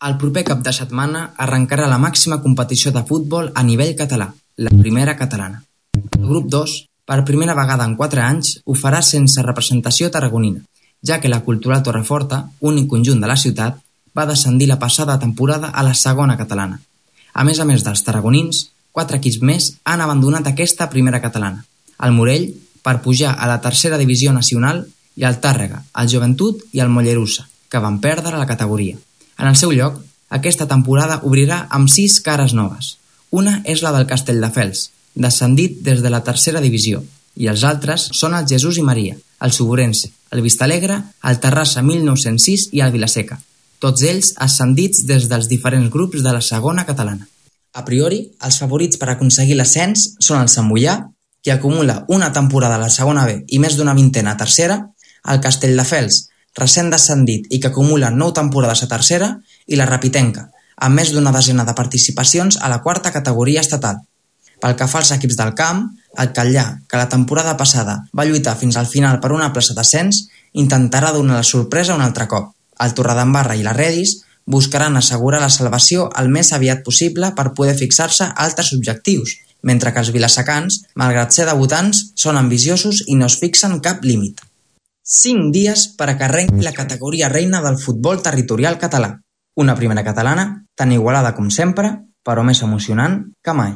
El proper cap de setmana arrencarà la màxima competició de futbol a nivell català, la Primera Catalana. El grup 2, per primera vegada en 4 anys, ho farà sense representació tarragonina, ja que la Cultural Torreforta, únic conjunt de la ciutat, va descendir la passada temporada a la Segona Catalana. A més dels tarragonins, 4 equips més han abandonat aquesta Primera Catalana. El Morell, per pujar a la Tercera Divisió Nacional, i el Tàrrega, el Joventut i el Mollerussa, que van perdre la categoria. En el seu lloc, aquesta temporada obrirà amb 6 cares noves. Una és la del Castelldefels, descendit des de la Tercera Divisió, i els altres són el Jesús i Maria, el Suburense, el Vistalegre, el Terrassa 1906 i el Vilaseca, tots ells ascendits des dels diferents grups de la Segona Catalana. A priori, els favorits per aconseguir l'ascens són el Sant Moià, que acumula una temporada a la Segona B i més d'una vintena a Tercera, el Castelldefels, recent descendit i que acumula 9 temporades a Tercera, i la Rapitenca, amb més d'una desena de participacions a la quarta categoria estatal. Pel que fa als equips del camp, el Catllà, que la temporada passada va lluitar fins al final per una plaça d'ascens, intentarà donar la sorpresa un altre cop. El Torredembarra i la Redis buscaran assegurar la salvació el més aviat possible per poder fixar-se altres objectius, mentre que els vilasecans, malgrat ser debutants, són ambiciosos i no es fixen cap límit. 5 dies per a que arrenqui la categoria reina del futbol territorial català. Una Primera Catalana tan igualada com sempre, però més emocionant que mai.